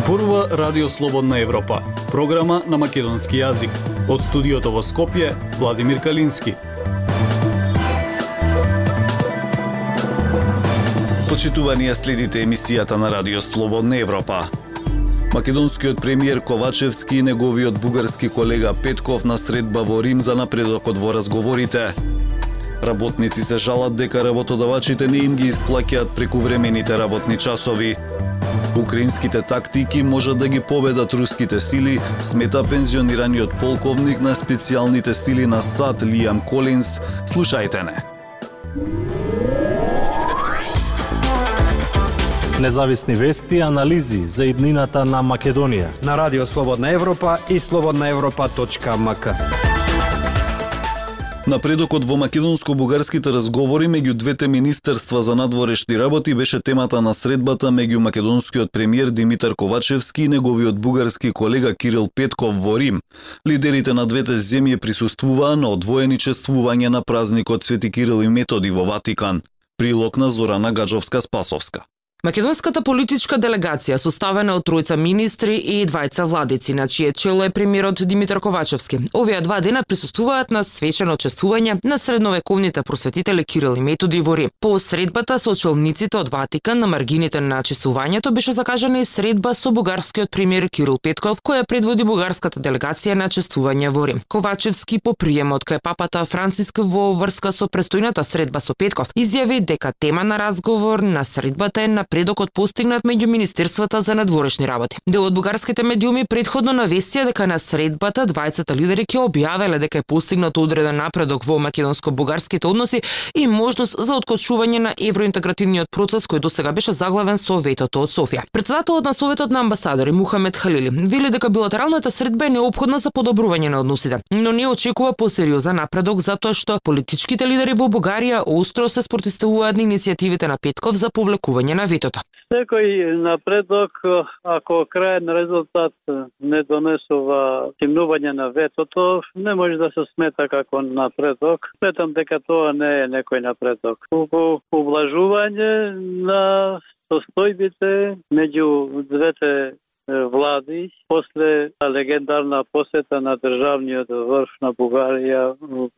Зборува Радио Слободна Европа, програма на македонски јазик. Од студиото во Скопје, Владимир Калински. Почитувани, следите емисијата на Радио Слободна Европа. Македонскиот премиер Ковачевски и неговиот бугарски колега Петков на средба во Рим за напредокот во разговорите. Работници се жалат дека работодавачите не им ги исплаќаат прекувремените работни часови. Украинските тактики можат да ги победат руските сили, смета пензионираниот полковник на специјалните сили на САД Лиам Колинс. Слушајте не. Независни вести и анализи за иднината на Македонија на Радио Слободна Европа и slobodnaevropa.mk. Напредокот во македонско-бугарските разговори меѓу двете министерства за надворешни работи беше темата на средбата меѓу македонскиот премиер Димитар Ковачевски и неговиот бугарски колега Кирил Петков во Рим. Лидерите на двете земји присуствуваа на одвоени чествување на празникот Свети Кирил и Методи во Ватикан. Прилог на Зорана Гаджовска-Спасовска. Македонската политичка делегација составена од тројца министри и двајца владици, на чие чело е премиерот Димитар Ковачевски. Овие два дена присуствуваат на свечено чествување на средновековните просветители Кирил и Методи во Рим. По средбата со челниците од Ватикан на маргините на чествувањето беше закажана и средба со бугарскиот премиер Кирил Петков, која предводи бугарската делегација на чествување во Рим. Ковачевски по приемот кај папата Франциск во врска со престојната средба со Петков изјави дека тема на разговор на средбата е напредокот постигнат меѓу министерствата за надворешни работи. Дел од бугарските медиуми претходно навестија дека на средбата двајцата лидери ќе објавеле дека е постигнат одреден напредок во македонско-бугарските односи и можност за откочување на евроинтегративниот процес кој досега беше заглавен со ветото од Софија. Председателот на Советот на амбасадори Мухамед Халили вели дека билатералната средба е неопходна за подобрување на односите, но не очекува посериозен напредок затоа што политичките лидери во Бугарија остро се спротивуваат на иницијативите на Петков за повлекување на ветото. Секој напредок, ако крајен резултат не донесува стигнување на ветото, не може да се смета како напредок. Сметам дека тоа не е некој напредок. Туку ублажување на состојбите меѓу двете влади после легендарна посета на државниот врв на Бугарија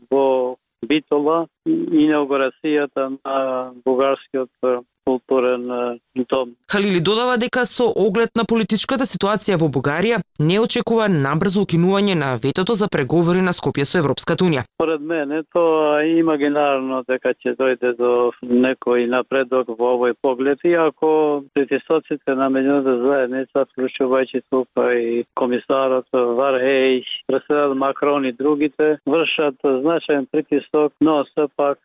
во Битола и инаугурацијата на бугарскиот културен дом. Халили додава дека со оглед на политичката ситуација во Бугарија не очекува набрзо укинување на ветото за преговори на Скопје со Европската унија. Поред мене тоа е имагинарно дека ќе дојде до некој напредок во овој поглед, иако притисоците на меѓународната заедница, вклучувајќи тука и комисарот Вархеј, преседател Макрон и другите, вршат значаен притисок, но сепак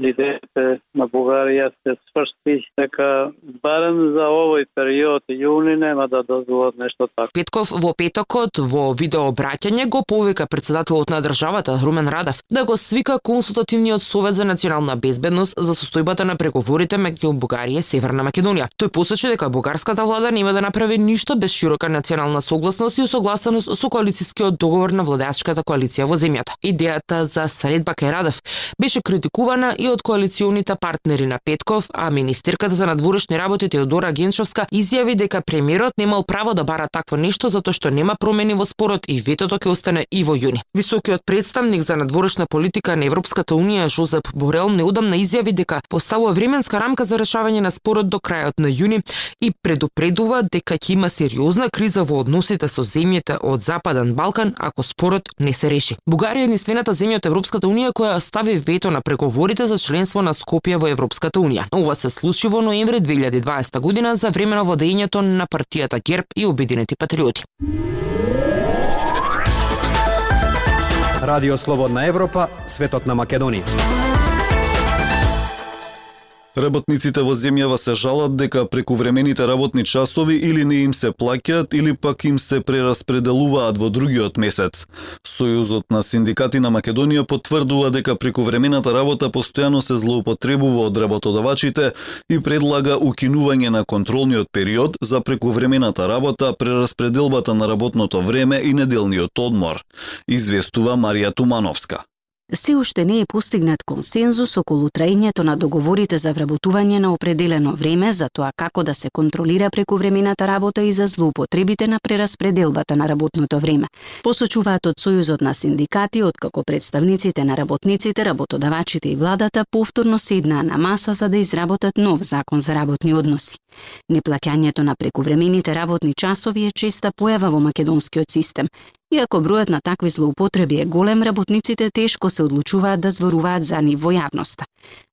лидерите на Бугарија се сврсти дека барем за овој период јуни нема да дозволат нешто така. Петков во петокот во видеообраќање го повика председателот на државата Румен Радев да го свика консултативниот совет за национална безбедност за состојбата на преговорите меѓу Бугарија и Северна Македонија. Тој посочи дека бугарската влада нема да направи ништо без широка национална согласност и усогласеност со коалицијскиот договор на владеачката коалиција во земјата. Идејата за средба кај Радев беше критикувана и од коалиционите партнери на Петков, а министерката за надворешни работи Теодора Генчовска изјави дека премиерот немал право да бара такво нешто затоа што нема промени во спорот и ветото ќе остане и во јуни. Високиот представник за надворешна политика на Европската унија Жозеп Борел неодамна изјави дека поставува временска рамка за решавање на спорот до крајот на јуни и предупредува дека ќе има сериозна криза во односите со земјите од Западен Балкан ако спорот не се реши. Бугарија е единствената земја од Европската унија која стави вето на преговорите за членство на Скопје во Европската унија. Ова се случи во ноември 2020 година за време на владењето на партијата ГЕРБ и Обединети патриоти. Радио Слободна Европа, светот на Македонија. Работниците во земјава се жалат дека прекувремените работни часови или не им се плаќаат или пак им се прераспределуваат во другиот месец. Сојузот на синдикати на Македонија потврдува дека прекувремената работа постојано се злоупотребува од работодавачите и предлага укинување на контролниот период за прекувремената работа, прераспределбата на работното време и неделниот одмор, известува Марија Тумановска. се уште не е постигнат консензус околу траењето на договорите за вработување на определено време, за тоа како да се контролира прековремената работа и за злоупотребите на прераспределбата на работното време. Посочуваат од Сојузот на синдикати, откако представниците на работниците, работодавачите и владата повторно седнаа на маса за да изработат нов закон за работни односи. Неплаќањето на прековремените работни часови е честа појава во македонскиот систем. Иако бројот на такви злоупотреби е голем, работниците тешко се одлучуваат да зборуваат за нив во јавноста.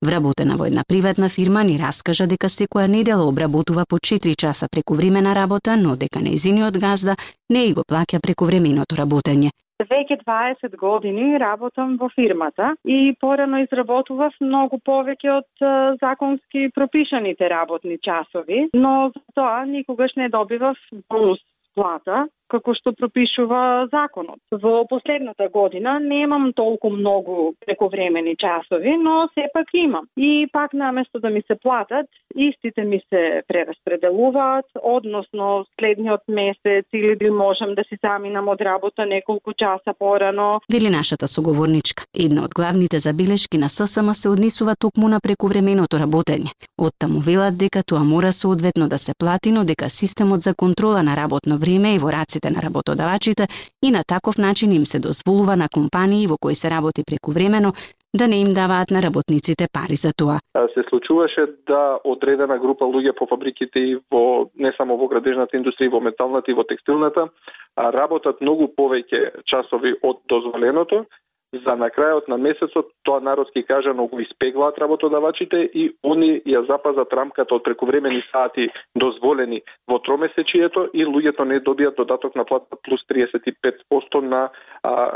Вработена во една приватна фирма ни раскажа дека секоја недела обработува по 4 часа прековремена работа, но дека нејзиниот газда не го плаќа прековременото работење. Веќе 20 години работам во фирмата и порано изработував многу повеќе од законски пропишаните работни часови, но за тоа никогаш не добивав бонус плата, како што пропишува законот. Во последната година немам толку многу прековремени часови, но сепак имам. И пак наместо да ми се платат, истите ми се прераспределуваат, односно следниот месец или можам да си заминам од работа неколку часа порано. Вели нашата соговорничка. Една од главните забелешки на ССМ се однесува токму на прековременото работење. Оттаму велат дека тоа мора соодветно да се плати, но дека системот за контрола на работно време и во раците на работодавачите и на таков начин им се дозволува на компании во кои се работи прековремено да не им даваат на работниците пари за тоа. Се случуваше да одредена група луѓе по фабриките и во не само во градежната индустрија, во металната и во текстилната работат многу повеќе часови од дозволеното. За на крајот на месецот, тоа народски кажано, го испеглаат работодавачите и они ја запазат рамката од прековремени сати дозволени во тромесечието и луѓето не добијат додаток на плата плюс 35% на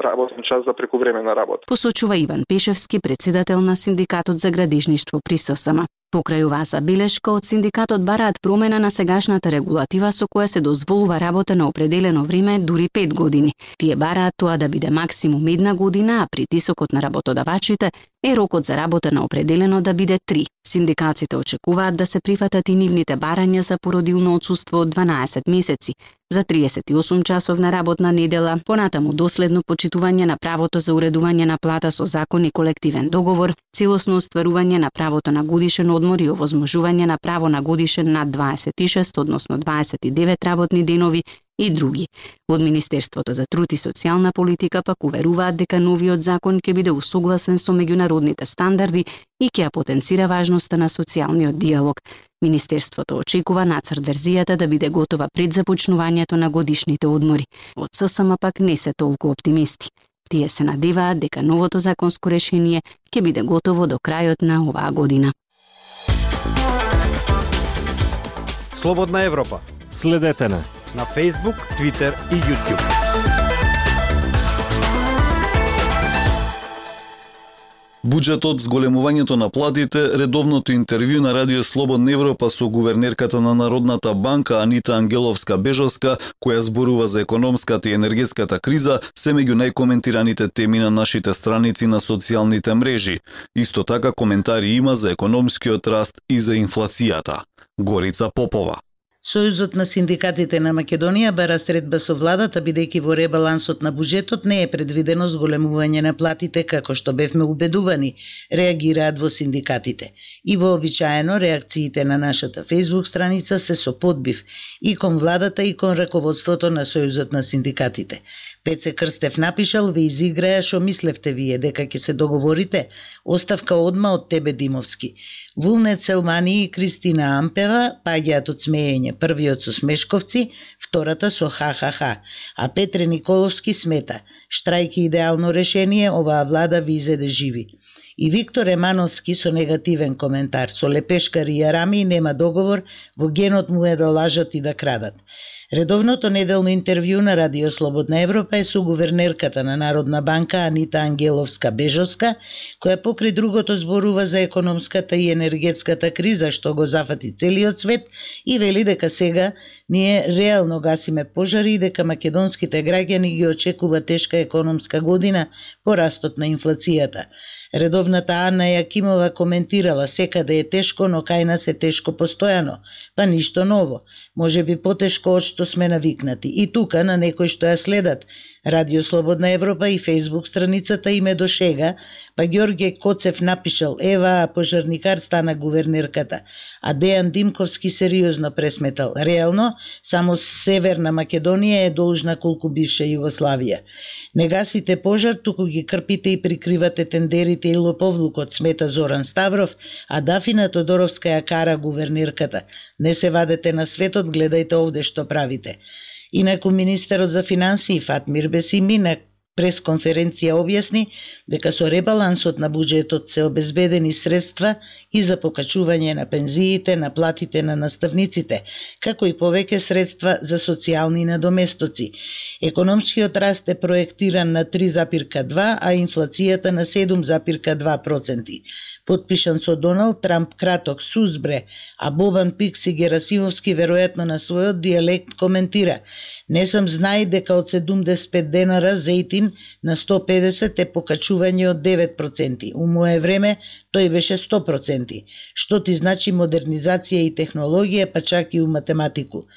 работен час за прековремена работа. Посочува Иван Пешевски, председател на Синдикатот за градежништво при ССМ. Покрај оваа забелешка, од синдикатот бараат промена на сегашната регулатива со која се дозволува работа на определено време дури 5 години. Тие бараат тоа да биде максимум 1 година, а притисокот на работодавачите е рокот за работа на определено да биде 3. Синдикатите очекуваат да се прифатат и нивните барања за породилно отсуство од 12 месеци, за 38 часовна работна недела, понатаму доследно почитување на правото за уредување на плата со закон и колективен договор, целосно остварување на правото на годишен одмор и овозможување на право на годишен над 26, односно 29 работни денови и други. Од Министерството за труд и социјална политика пак уверуваат дека новиот закон ќе биде усогласен со меѓународните стандарди и ќе ја потенцира важноста на социјалниот диалог. Министерството очекува нацрт верзијата да биде готова пред започнувањето на годишните одмори. Од ССМ пак не се толку оптимисти. Тие се надеваат дека новото законско решение ќе биде готово до крајот на оваа година. Слободна Европа. Следете на Facebook, Twitter и YouTube. Буџетот, зголемувањето на платите, редовното интервју на Радио Слободна Европа со гувернерката на Народната банка Анита Ангеловска-Бежовска, која зборува за економската и енергетската криза, се меѓу најкоментираните теми на нашите страници на социјалните мрежи. Исто така коментари има за економскиот раст и за инфлацијата. Горица Попова. Сојузот на синдикатите на Македонија бара средба со владата, бидејќи во ребалансот на буџетот не е предвидено зголемување на платите како што бевме убедувани, реагираат во синдикатите. И вообичаено реакциите на нашата Facebook страница се со подбив и кон владата и кон раководството на Сојузот на синдикатите. Пеце Крстев напишал: "Ве изиграја шо мислевте вие дека ќе се договорите? Оставка одма од тебе, Димовски." Вулнет Селмани и Кристина Ампева паѓаат од смеење, првиот со смешковци, втората со ха-ха-ха. А Петре Николовски смета: "Штрајки идеално решение, оваа влада ви изеде живи." И Виктор Емановски со негативен коментар: "Со лепешкари и арами нема договор, во генот му е да лажат и да крадат." Редовното неделно интервју на Радио Слободна Европа е со гувернерката на Народна банка Анита Ангеловска-Бежовска, која покрај другото зборува за економската и енергетската криза што го зафати целиот свет и вели дека сега ние реално гасиме пожари и дека македонските граѓани ги очекува тешка економска година по растот на инфлацијата. Редовната Ана Јакимова коментирала: секаде е тешко, но кај нас е тешко постојано. Па ништо ново. Може би потешко од што сме навикнати. И тука на некои што ја следат Радио Слободна Европа и Фејсбук страницата им е до шега, па Ѓорѓе Коцев напишал: ева, пожарникар стана гувернерката, а Дејан Димковски сериозно пресметал: реално, само Северна Македонија е должна колку бивша Југославија. Не гасите пожар, туку ги крпите и прикривате тендерите и лоповлукот, смета Зоран Ставров, а Дафина Тодоровска ја кара гувернерката. Не се вадете на светот, гледајте овде што правите. Инаку министерот за финансии Фатмир Бесими на пресконференција објасни дека со ребалансот на буџетот се обезбедени средства и за покачување на пензиите, на платите на наставниците, како и повеќе средства за социјални надоместоци. Економскиот раст е проектиран на 3,2, а инфлацијата на 7,2%. Подпишан со Доналд Трамп краток сузбре, а Бобан Пикси Герасимовски веројатно на својот дијалект коментира: не сам знај дека од 75 денара зејтин на 150 е покачување од 9%. У мое време тој беше 100%. Што ти значи модернизација и технологија, па чак и у математику.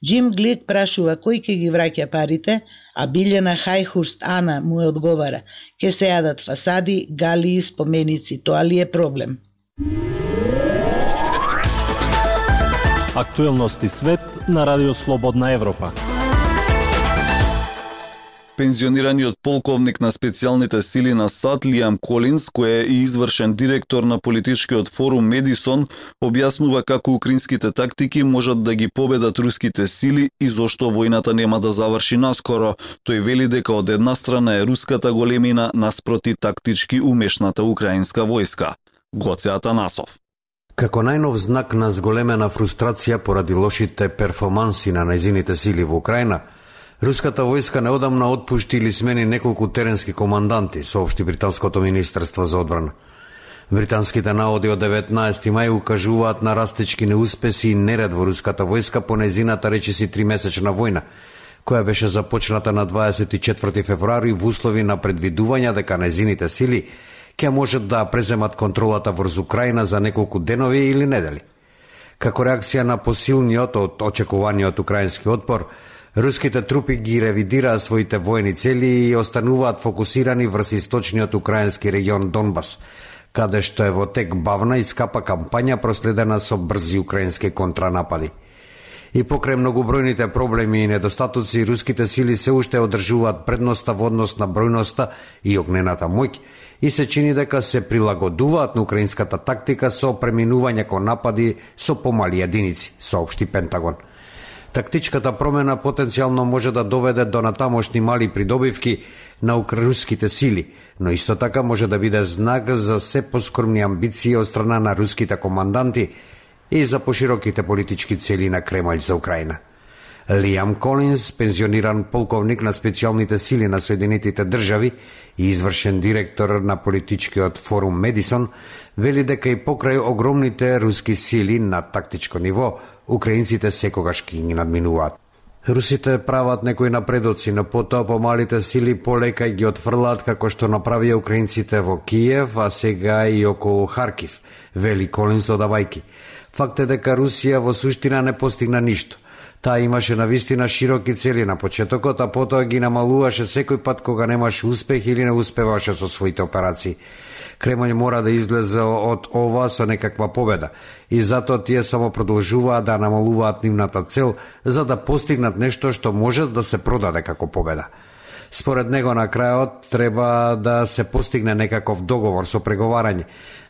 Джим Глик прашува кој ќе ги враќа парите, а Билјана Хајхурст Ана му одговара: ќе се јадат фасади, галии, споменици, тоа ли е проблем? Актуелности свет на Радио Слободна Европа. Пензионираниот полковник на специјалните сили на САД Лиам Колинс, кој е и извршен директор на политичкиот форум Медисон, објаснува како украинските тактики можат да ги победат руските сили и зошто војната нема да заврши наскоро. Тој вели дека од една страна е руската големина наспроти тактички умешната украинска војска. Гоце Атанасов. Како најнов знак на зголемена фрустрација поради лошите перформанси на нејзините сили во Украина, руската војска неодамна отпушти или смени неколку теренски команданти, соопшти британското министерство за одбрана. Британските наводи од 19 мај укажуваат на растечки неуспеси и неред во руската војска по нејзината речиси 3-месечна војна, која беше започната на 24 февруари во услови на предвидување дека нејзините сили ќе можат да преземат контролата врз Украина за неколку денови или недели. Како реакција на посилниот од очекуваниот украински отпор, руските трупи ги ревидираа своите воени цели и остануваат фокусирани врз источниот украински регион Донбас, каде што е во тек бавна и скапа кампања проследена со брзи украински контранапади. И покрај многобројните проблеми и недостатоци, руските сили се уште одржуваат предноста во однос на бројноста и огнената моќ и се чини дека се прилагодуваат на украинската тактика со преминување кон напади со помали единици, соопшти Пентагон. Тактичката промена потенцијално може да доведе до натамошни мали придобивки на руските сили, но исто така може да биде знак за се поскромни амбиции од страна на руските команданти и за пошироките политички цели на Кремљ за Украина. Лиам Колинс, пензиониран полковник на специјалните сили на Соединетите држави и извршен директор на политичкиот форум Медисон, вели дека и покрај огромните руски сили на тактичко ниво, украинците секогаш ги надминуваат. Русите прават некои напредоци, но потоа помалите сили полека ги отфрлаат како што направија украинците во Киев, а сега и околу Харкив, вели Колинс додавајки. Факт е дека Русија во суштина не постигна ништо. Таа имаше навистина широки цели на почетокот, а потоа ги намалуваше секој пат кога немаше успех или не успеваше со своите операции. Кремљ мора да излезе од ова со некаква победа и затоа тие само продолжуваат да намалуваат нивната цел за да постигнат нешто што може да се продаде како победа. Според него на крајот треба да се постигне некаков договор со преговарање,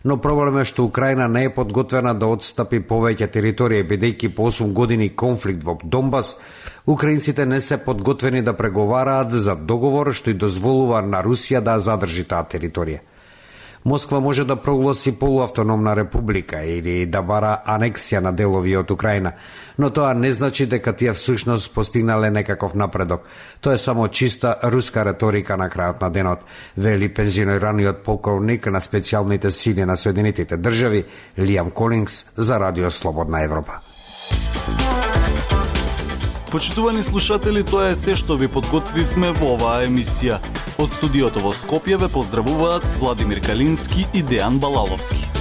но проблем е што Украина не е подготвена да отстапи повеќе територија, бидејќи по 8 години конфликт во Донбас, украинците не се подготвени да преговараат за договор што и дозволува на Русија да задржи таа територија. Москва може да прогласи полуавтономна република или да бара анексија на делови од Украина, но тоа не значи дека тие всушност постигнале некаков напредок. Тоа е само чиста руска реторика на крајот на денот, вели пензионираниот полковник на специјалните сили на Соединетите држави Лиам Колинс за Радио Слободна Европа. Почитувани слушатели, тоа е се што ви подготвивме во оваа емисија. Од студиото во Скопје ве поздравуваат Владимир Калински и Дејан Балаловски.